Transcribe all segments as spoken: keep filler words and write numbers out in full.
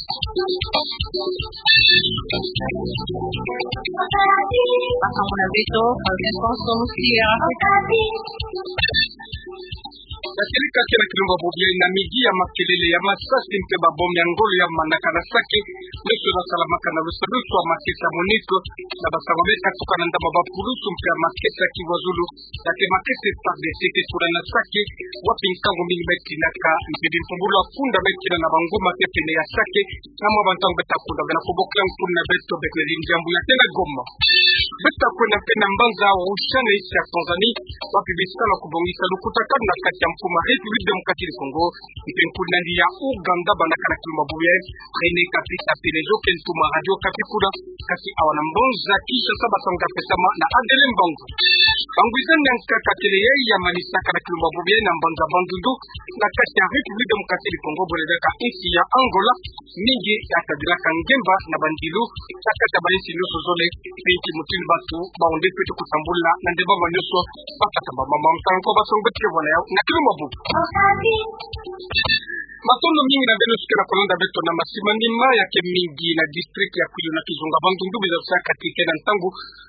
Baka muna beto, Alphonse Musia. Na sirika kena kilumbu ya bobi yai na midi ya makelele ya masasi mpe ba bombe ya ngolo ya manaka na Sake, nyoso nasalamaka na lusalusu ya makesa MONUC, na basango me katuka na ndambu ya bapulusu mpe ya makesa ya Kivu ya Zulu, na ke makesa FARDC ke kuna na Sake, wapi nkangu mingi me tinaka, mpe bimpumbulu ya kunda me tina na bangoma ke pene ya Sake, na mwa bantangu beta kunda, bena kobokila nkuna beto Bernardine Diambu ya tena Goma. Beta kwenda mpe na mbanza Arusha na insi ya Tanzanie, wapi bisalu ya kobongisa lukutakanu na kati ya mfumu ya République Démocratique du Congo, mpe nkuna ni ya Ouganda, bandaka na kilumbu ya bobi yai, René Kapita Pelezo, ke ntoma Radio Okapi kuna, kasi awa na mbanza Kinshasa basango mpe pesama na Adèle Mbangu. Bangwizani ya nkaka kele yai ya manisaka na kilumbu ya bobi yai na mbanza Bandundu, na kati ya République Démocratique du Congo, bwele diaka insi ya Angola, mingi ya kadilaka ngemba na bandilu, na kati ya bainsi nyoso zole, mpe inki mutindu bantu bahonde pete kutambula na ndembama nyoso, bakatamba mama mtanko basango beto ke vwala yau na kilumbu ya bobi. Matondo mingi na beno nyoso ke na kolanda beto na masimanima ya ke mingi na district ya Kwilu na kizunga Bandundu, biza sa kati ke na ntangu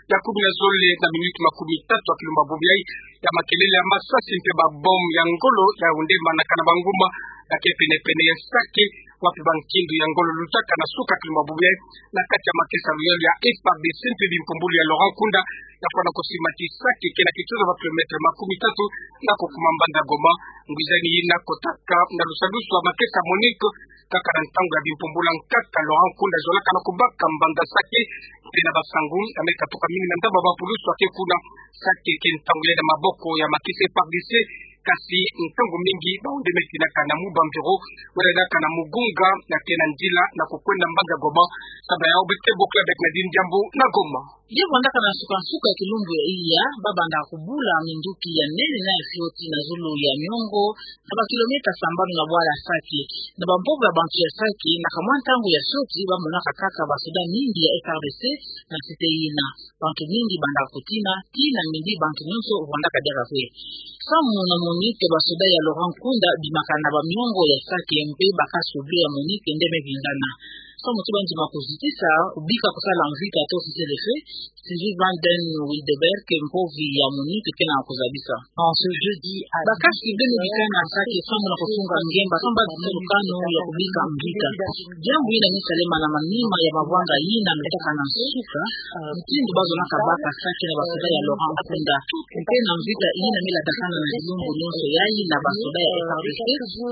ya kumi na zole na minute makumi tatu ya kilumbu ya bobi yai, ya makelele ya masasi mpe ba bombe ya ngolo ya hunde manaka na bangoma, ya ke penepene ya Sake, wapi bankindu ya ngolo lutaka na suka kilumbu ya bobi yai, na kati ya makesa ya luyalu ya FARDC mpe bimpumbulu ya Laurent Nkunda, ya fwana kosimati Sake ke na kitoto ya ba kilomètre makumi tatu, na kokuma mbanza Goma. Ngwizani yina kotaka na lusalusu ya makesa MONUC, kaka na ntangu ya bimpumbulu ya nkaka Laurent Nkunda zolaka na kobaka mbanza Sake, mpe na basango ya me katuka mingi na ndambu ya bapulusu ya ke kuna. Sake ke ntangu yai na maboko ya makesa FARDC, kasi ntangu mingi bahonde me tinaka na mu ba bureau, wala diaka na Mugunga, na ke na nzila na kokwenda mbanza Goma. Sababu yau beto ke bokila Bernardine Diambu na Goma. Ye vwandaka na nsuka-nsuka ya kilumbu ya iya, babandaka kobula minduki ya nene na ya fioti na zulu ya miongo, na ba kilomètre sambanu na bwala Sake. Na bampovo ya bantu ya Sake, na kamwa ntangu ya fioti, bamonaka kaka basoda mingi ya FARDC na site yina. Bantu mingi bandaka kotina, tii na midi bantu nyoso vwandaka diaka kwe. Samu na MONUC, basoda ya Laurent Nkunda bimaka na bamiongo ya Sake, mpe ba casques bleus ya MONUC nde me vingana. Samu ti bandima kozitisa, kobika kosala mvita to cessez-le-feu, Sylvie Van Den Wildeberg, mpovi ya MONUC, ke na kozabisa. En ce jeudi à... Ba casques bleus me bikana na Sake samu na kosunga ngemba, samu bazitisa lukanu ya kobika mvita. Diambu yina me salama na manima ya mavwanga yina lutaka na nsuka, mutindu bazonaka baka Sake na basoda ya Laurent Nkunda. Mpe na mvita yina me latakana na bilumbu nyoso yai na basoda ya FARDC,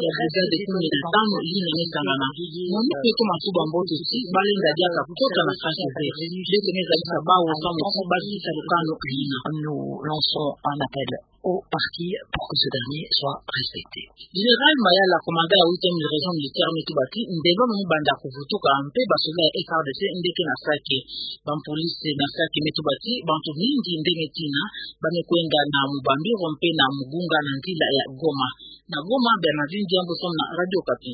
ya brigade kumi na tanu yina me sangana. MONUC me toma tuba mbote ti balenda diaka kota na Sake ve. Beto me zabisa bawu samu ti bazitisa lukanu yina. Nous lançons un appel au parquet pour que ce dernier soit respecté. Général Mayala, commandant ya huitième région militaire, me tuba ti ndembama me banda kovutuka, mpe basoda ya FARDC nde ke na Sake. Bampolisi na Sake me tuba ti bantu mingi nde me tina, ba me kwenda na Mubambiro mpe na Mugunga na nzila ya Goma. Na Goma, Bernardine Diambu samu na Radio Okapi.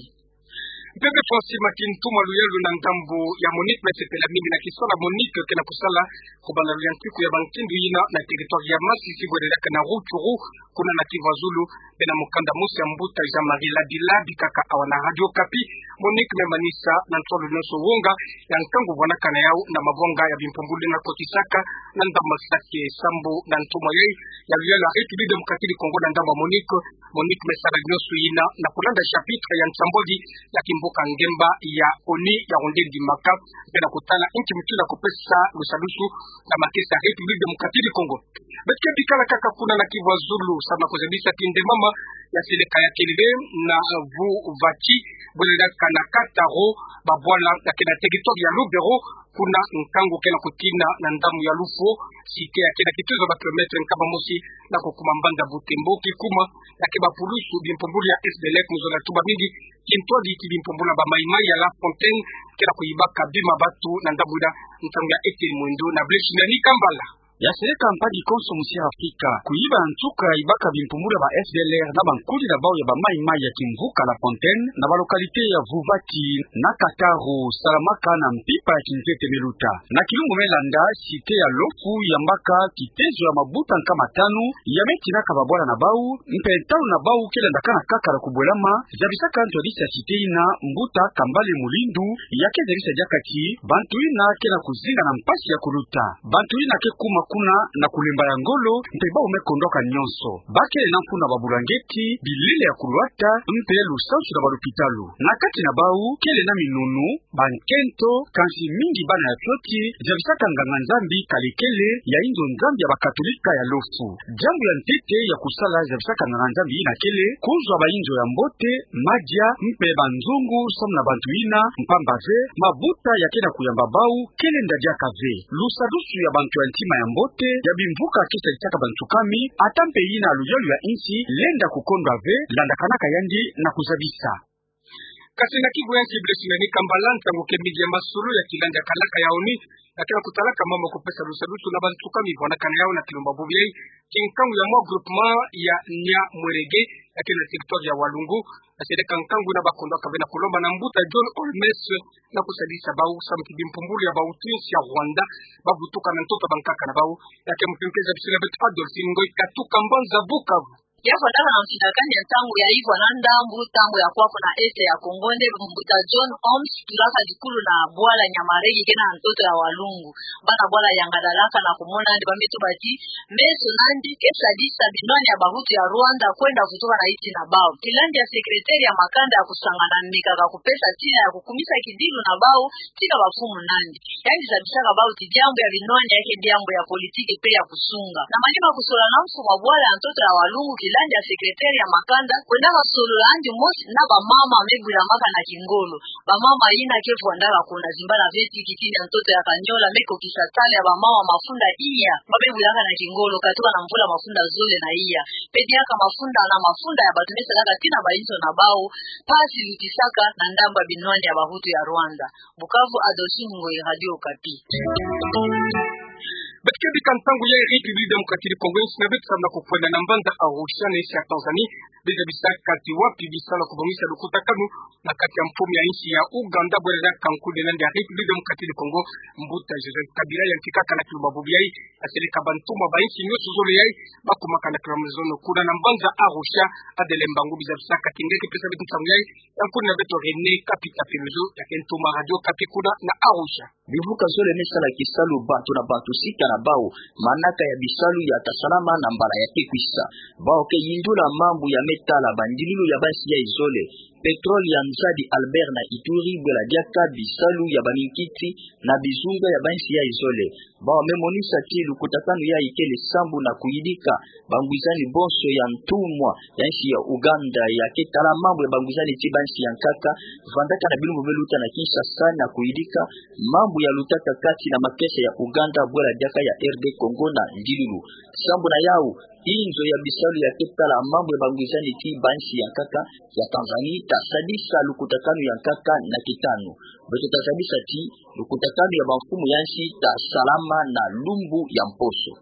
Mpe beto simati ntuma luyalu na ndambu ya MONUC, me sepela mingi na kisalu MONUC ke na kosala, kobanda luyantiku ya bankindu yina na territoire ya Masisi, bwele diaka na Rutshuru, kuna na Kivu ya Zulu, mpe na mukanda mosi ya mbuta Jean-Marie Labi Labi kaka awa na Radio Okapi. MONUC me manisa na nsolo nyoso wonga ya nkangu vwanakana yau na mavwanga ya bimpumbulu yina kotisaka na ndambu Sake. Sambu na ntoma yai ya luyalu ya République Démocratique du Congo na ndambu MONUC, MONUC me sala nyoso yina na kolanda chapitre ya nsambwadi ya kimbuka ngemba ya ONU ya hunde ndimaka, mpe na kotala inki mutindu ya kopesa lusalusu na makesa ya République Démocratique du Congo. Beto ke bikala kaka kuna na Kivu ya Zulu, samu na kozabisa ti ndembama ya seleka ya kelele na Vuvati, bwele diaka na Kataro, babwala ya ke na territoire ya Lubero, kuna nkangu ke na kotina na ndambu ya Lufo, site ya ke na kituzu ya ba kilomètre nkama mosi na kokuma mbanza Butembo, kikuma ya ke bapulusu bimpumbulu ya FDLF, mu zola tuba mingi kintwadi ti bimpumbulu ya ba Mai-Mai ya La Fontaine, ke na koyibaka bima batu na ndambu yina, ntangu ya Etienne Mwendo na Blaise Shimani Kambala. Ya seleka mpangi konso musi Afrika, kuyiba nsuka ibaka bimpumbulu ya ba F D L R na bankudi na bau ya ba Maï-Maï ya kimvuka La Fontaine, na ba localité ya Vouvati, na Kataro, Salamaka na mpimpa ya kinzete me luta. Na kilumbu me landa, cité ya Lofu yambaka kitezo ya mabuta nkama tanu, ya me tinaka babwala na bau, mpe ntalu na bau ke landakana kaka na kubwelama, zabisaka ntu ya dix ya cité yina, mbuta Kambale Mulindu, ya ke zabisa diaka ti, bantu yina ke na kuzinga na mpasi ya kuluta. Bantu yina ke kuma kuna na kulemba ya ngolo, mpe bau me kondwaka nyonso. Ba kele na mfunu na babulangeti, bilele ya kulwata, mpe lusansu na balupitalu. Na kati na bau, kele na minunu, bankento, kansi mingi bana ya fioti, zabisaka nganga-Nzambi Kalekele, ya inzo Nzambi ya bakatolika ya Lofu. Diambu ya ntete ya kusala zabisaka nganga-Nzambi yina kele, kuzwa bainzo ya mbote, madia, mpe banzungu, samu na bantu yina, mpamba ve, mabuta ya ke na kuyamba bau, ke lenda diaka ve. Lusadusu ya bantu ya ntima ya mbote, ya bimvuka ke sadisaka bantu kami, ata mpe yina luyalu ya insi, lenda kukondwa ve, landakanaka yandi na kuzabisa. Kasi na kibu ya nsi Blessing Nani Kambala, ntangu ke mbingi ya masolo ya kilandi ya kalaka ya ONU, ya ke na kutalaka mambu ya kupesa lusadusu na bantu kami vwanakana yau na kilumbu bubu yayi, kinkangu ya mwa groupement ya Nyamwerege, ya ke na territoire ya Walungu, ya seleka nkangu na bakondwaka ve na kulomba na mbuta John Holmes, na kusadisa bau samu ti bimpumbulu ya bautu ya insi ya Rwanda, bavutuka na ntoto ya bankaka na bau, ya ke mpimpa zabisila beto Adolphine Ngoy Katuka Mbanza Bukavu. Ya vwandaka na mfinakani ya ntangu ya ivwa na ndambu, ntangu ya kwa kuna Est ya Congo, nde mbuta John Holmes, tulaka dikulu na bwala Nyamwerege ke na ntoto ya Walungu. Bana bwala yangadalaka na kumona nde ba me tuba ti, meso nandi ke sadisa binwani ya bahutu ya Rwanda kwenda vutuka na insi na bau. Kilandi ya secrétaire ya makanda ya kusangana mekaka kupesa tina ya kukumisa kidilu na bau, tina bamfumu nandi. Yandi zabisaka bau ti diambu ya binwani ya ke diambu ya politiki mpe ya kusunga. Na manima kusolola na mfumu wa bwala ya ntoto ya Walungu, kilandi ya secrétaire ya makanda, kwendaka solola yandi mosi na bamama me bwilamaka na kingolo. Bamama yina ke vwandaka kuna zimbala ve ti kitini ya ntoto ya Kanyola me kokisa tala ya bamama mafunda iya, ba me bwilaka na kingolo, katuka na mvula mafunda zole na iya. Mpe diaka mafunda na mafunda ya bato me salaka tina bainzo na bau, mpasi lutisaka na ndambu ya binwani ya bahutu ya Rwanda. Bukavu, Adolphine Ngoyi, Radio Okapi. Beto ke bika ntangu ya République Démocratique du Congo, insi na beto samu na kukwenda na mbanza Arusha na insi ya Tanzanie, be zabisaka ti wapi bisalu ya kubongisa lukutakanu na kati ya mfumu ya insi ya Ouganda, bwela diaka nkudi nandi ya République Démocratique du Congo, mbuta Joseph Kabila, yantikaka na kilumbu bubu yayi, ya seleka bantumwa ba insi nyonso zole yayi, bakumaka na kilumbu zono kuna na mbanza Arusha. Adele Mbangu, bi zabisaka ti nge ke pesa beto ntangu yayi, ya nkudi na beto René Kapita Piluzu, ya ke ntumwa Radio Okapi kuna na Arusha. Bimvuka zole me sala kisalu, bantu na bantu sika na bau, manaka ya bisalu ya ta salama na mbala ya ke kwisa. Bau ke yindula mambu ya me tala bandililu ya bansi ya izole, pétrole ya Nzadi Albert na Ituri, bwela diaka bisalu ya baminkiti na bizunga ya bansi ya izole. Bau me monisa ti lukutakanu yayi kele sambu na kuyidika bangwizani bonso ya ntumwa ya insi ya Ouganda ya ke tala mambu ya bangwizani ti bansi ya nkaka, vandaka na bilumbu me luta na Kinshasa na kuyidika mambu ya lutaka kati na makesa ya Ouganda, bwela diaka ya R D Congo na ndilulu. Sambu na yau, inzo ya bisalu ya ke tala mambu ya bangwizani ti bansi ya nkaka ya Tanzanie ta sadisa lukutakanu ya nkaka na kitanu. Beto ta zabisa ti lukutakanu ya bamfumu ya insi ta salama na lumbu ya mposo.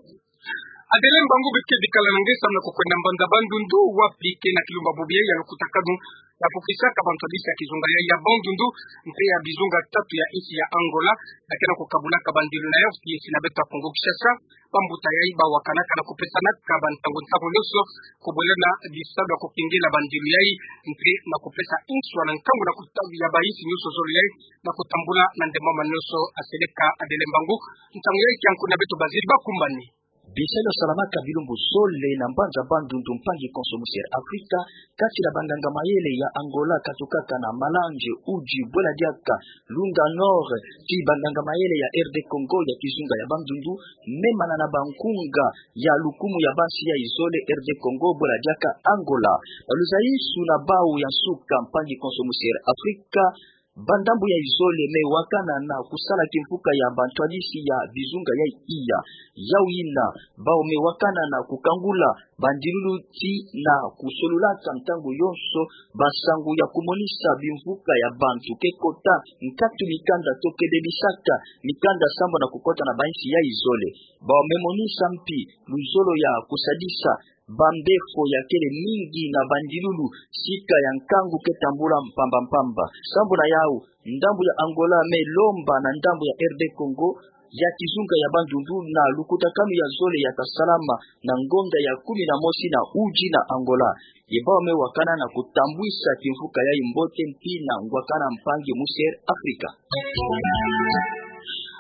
Adele Mbangu, beto ke bikala na nge samu na kukwenda mbanza Bandundu, wapi ke na kilumbu bubu yayi ya lukutakanu ya kukisaka bantu ya bisi ya kizunga ya, ya Bandundu, mpe ya bizunga tatu ya insi ya Angola, ya ke na kukabulaka bandilu na yau ti insi na beto ya Congo Kinshasa. Bambuta yayi bawakanaka na kupesanaka bantangu ntangu nyonso, kubwela na bisalu ya kukengela bandilu yayi, mpe na kupesa inswa na nkangu na kutabi ya ba insi nyonso zole yayi, na kutambula na ndemama nyonso. Ya seleka Adele Mbangu, ntangu yayi kia nkudi na beto Bazile Bakumbani. Bisalu ya salamaka bilumbu zole na mbanza Bandundu, mpangi konso musi Afrika, kati na banganga mayele ya Angola katukaka na Malange, Uji, bwela diaka Lunga Nord, ti banganga mayele ya R D Congo ya kizunga ya Bandundu, memana na bankunga ya lukumu ya bansi ya izole, R D Congo bwela diaka Angola. Baluzaisu na bau ya nsuka, mpangi konso musi Afrika, Ba ndambu ya izole me wakana na kusala kimfuka ya bantwadisi ya bizunga ya iya. Yau yina, bau me wakana na kukangula bandilulu ti na kusolulaka ntangu yonso bansangu ya kumonisa bimfuka ya bantu ke kota nkatu mikanda to ke bebisaka mikanda sambu na kukota na bansi ya izole. Bau me monisa mpi luzolo ya kusadisa bambefo ya kele mingi na bandilulu sika ya nkangu ke tambula mpamba mpamba. Sambu na yau, ndambu ya Angola me lomba na ndambu ya R D Congo ya kizunga ya bandundu na lukutakanu ya zole ya ta salama na ngonda ya kumi na mosi na uji na Angola. Ye bau me wakana na kutambwisa kimfuka ya imbote mpi na ngwakana mpangi mu Sud Afrika.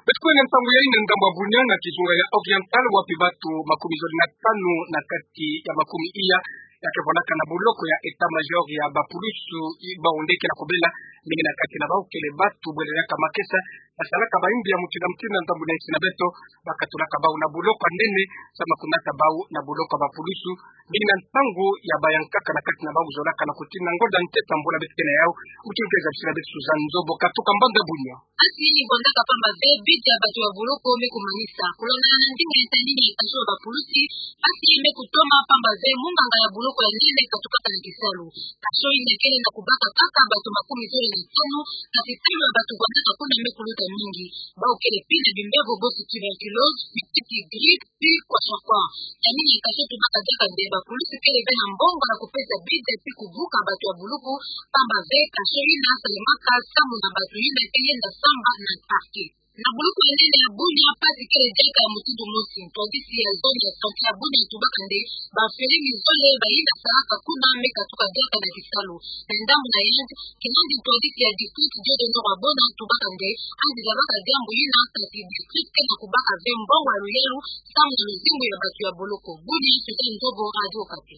Beto kwenda ntangu ya ina ndambu ya Bunia na kizunga ya Oriental, wapi batu makumi zole na tanu na kati ya makumi iya ya ke vandaka na buloko ya état-major ya bapulusu i-, bau nde ke na kobela mingi na kati na bau kele batu bwele yaka makesa, basalaka bayimbi ya mutindu na mutindu na ndambu na insi na beto, bakatulaka bau na buloko ya nene, sama kunata bau na buloko ya bapulusu, mingi na ntangu ya bayankaka na kati na bau zolaka na kutini na ngonda ntete mbula beto ke na yau, mutindu ke zabisila beto Suzanne Nzobo katuka mbanda Bunia. Mpasi ni vandaka pamba ve bide ya batu ya buloko me kumanisa. Kulonda na ndinga ya tani ni kasho ya bapulusi, mpasi me kutoma pamba ve munganga ya buloko ya nene katukaka na kisalu. Kasho yina kele na kubaka kaka batu makumi zole na tanu, kasi talo ya batu vandaka kuna me kuluta mingi. Bau kele pi na bimbevo bosi tuberculose, mitiki, grippe, pi kwasakwa. Yamini kasho tubaka diaka nde bapulusi kele ve na mbongo ya kupesa bide pi kubuka batu ya buloko, pamba ve kasho yina salemaka samu na batu yina ke yenda samba na parquet. Na buloko ya nene ya Bunia mpasi kele diaka mutindu mosi. Ntwadisi ya zone ya santé ya Bunia tubaka nde bamfele mizole bayenda salaka kuna me katuka diaka na kisalu. Na ndambu na yandi, kinandi ntwadisi ya district Dieudonne Rabona tubaka nde, andi zabaka diambu yina, kasi district ke na kubaka ve mbongo ya luyalu samu na luzingu ya batu ya buloko. Bunia, Suzanne Nzobo, Radio Okapi.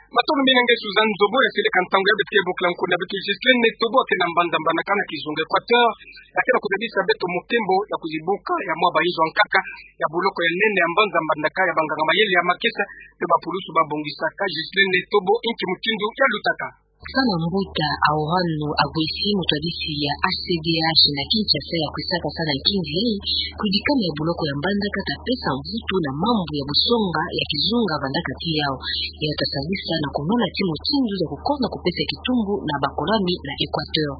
Matondo mingi na nge Suzanne Nzobo, ya seleka ntangu ya beto ke bokila nkuna beto Ghislaine Netobo, ke na mbanza Mbandaka na kizunga Équateur, ya ke na kuzabisa beto mukembo ya kuzibuka ya mwa bayinzo ya nkaka ya buloko ya nene ya mbanza Mbandaka ya banganga mayele ya makesa pe bapulusu babongisaka. Ghislaine Netobo, inki mutindu ya lutaka? Sana mbuta Aurano Aguesi, mutwadisi ya H C D H na Kinshasa, ya kwisaka sana nkinzi yai, kuyidikana ya buloko ya Mbandaka ta pesa mvutu na mambu ya busonga ya kizunga vandaka ti yau. Ya ta sadisa na kunona ti mutindu ya kukonda kupesa kitumbu na bakolami na Équateur.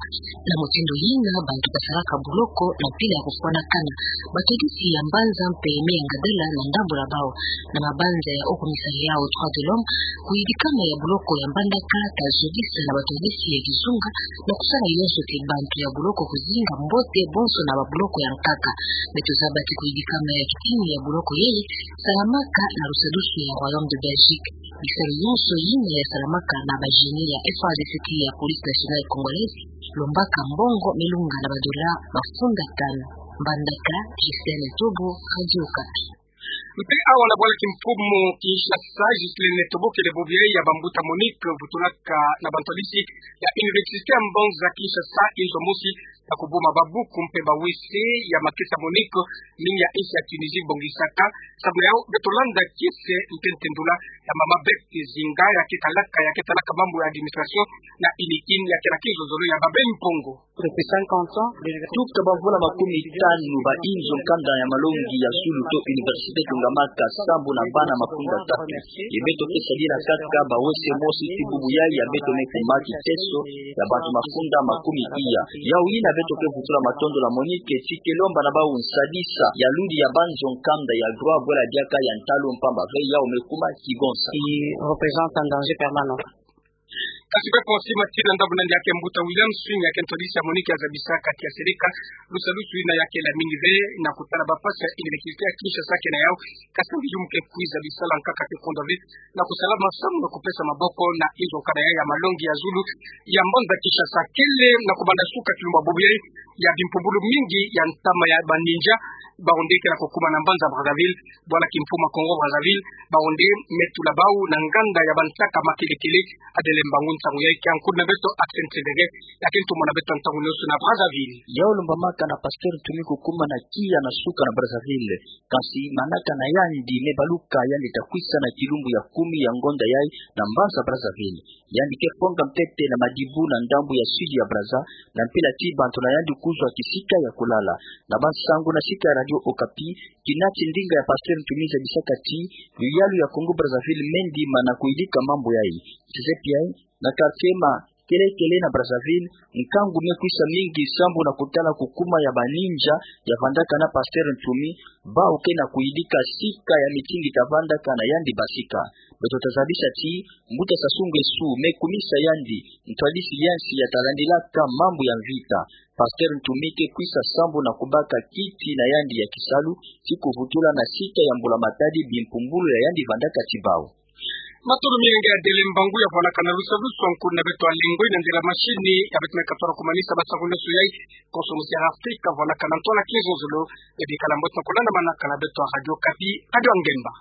Na mutindu yina bantu basalaka buloko na mpila ya kufwanakana. Batwadisi ya mbanza mpe me ya ngadala na ndambu la bau. Na mabanza ya okumisa yau droits de l'homme, kuyidikana ya buloko ya Mbandaka ta zolisa na batwadisi ya kizunga na kusala yonso ti bantu ya buloko kuzinga mbote bonso na babuloko ya nkaka. Beto zaba ti kuyidikana ya kitini ya buloko yai salamaka na lusadusu ya Royaume de Belgique. Bisalu yonso yina ya salamaka na ba génies ya F A R D C ya Police Nationale Congolaise, lombaka mbongo me lunga na badola mafunda tanu. Mbandaka, Ghislaine Netobo, Radio Okapi. Mpe awa na bwala kimfumu Kinshasa, Ghislaine Netobo, kele bobo yai ya bambuta Monique, vutulaka na bantwadisi ya Université ya mbanza Kinshasa, inzo mosi ya kubuma babuku mpe ba W C ya makesa Monique, mingi ya insi ya Tunisie bongisaka. Samu na yau, beto landa kiese mpe ntendula ya mama Beth Zinga, ya ke talaka, ya ke talaka mambu ya administration na UNIKIN, ya ke na kinzonzolo ya Babembe Mpongo. Tuka bamvula makumi tanu, ba inzo nkanda ya malongi ya zulu to université tungamaka sambu na bana mafunda tatu. Ye beto ke sadila kaka ba W C mosi ti bubu yai ya beto me kuma kiteso ya bantu mafunda makumi iya. Yau yina beto ke vutula matondo la Monique ti ke lomba na bau nsadisa ya ludi ya banzo nkanda ya droit bwela diaka ya ntalu mpamba ve yau me kuma kigonsa. Qui représente un danger permanent. Kasi pe pon sima tina ndambu nandi ya ke mbuta William Swing ya ke ntwadisi ya Monique ya zabisaka ti ya seleka lusadusu yina ya ke la mingi ve na kutala ba mpasi ya université ya Kinshasa ke na yau, kasi mbi yum ke kwiza bisala nkaka ke konda ve na kusalama samu na kupesa maboko na inzo nkanda ya, ya malongi ya zulu ya mbanza Kinshasa. Kele na kubanda suka kilumbu bobo yai ya bimpumbulu mingi ya ntama ya ba ninja Baronde ke na kukuma na mbanza Brazzaville, bwala kimfuma Congo Brazzaville, baronde me tula bau na nganda ya bansaka makelekele. Adele mbangu nsangu yai kia nkundi na beto Axel Tsengere, ya ke ntumona beto ntangu nyoso na Brazzaville. Yau lumbamaka na Pasteur Ntumi kukuma na kia na suka na Brazzaville, kansi manaka na yandi me baluka yandi ta kwisa na kilumbu ya kumi ya ngonda yai na mbanza Brazzaville. Yandi ke fonga mpete na Madibou na ndambu ya sud ya Brazza, na mpila ti bantu na yandi kuzwa kisika ya kulala. Na bansangu na sika ya Radio Okapi, kina ti ndinga ya Pasteur Ntumi zabisaka ti luyalu ya Congo Brazzaville me ndima na kuyidika mambu yai. Tizepi yai, na quartier ma kelekele na Brazzaville, nkangu me kwisa mingi sambu na kutala kukuma ya baninja ya vandaka na Pasteur Ntumi, bau ke na kuyidika sika ya mitingi ta vandaka na yandi basika. Beto ta zabisa ti, Mbuta Sassou Nguesso me kumisa yandi ntwadisi ya nsi ya ta landilaka mambu ya mvita. Pasteur Ntumi ke kwisa sambu na kubaka kiti na yandi ya kisalu, ti kuvutula na sika ya Mbula Matadi bimpumbulu ya yandi vandaka ti bau. Matolo mingi ya dele mbangu ya vwalakana lusalusu a nkundi na beto Alengoi, na nzila machine ya beto me katwala kumanisa bansangu nyoso yai, konso musi ya Afrika, vwalakana ntwala kizozolo, ya bikala mbote na kolanda manaka na beto a Radio Okapi, Radio Ngemba.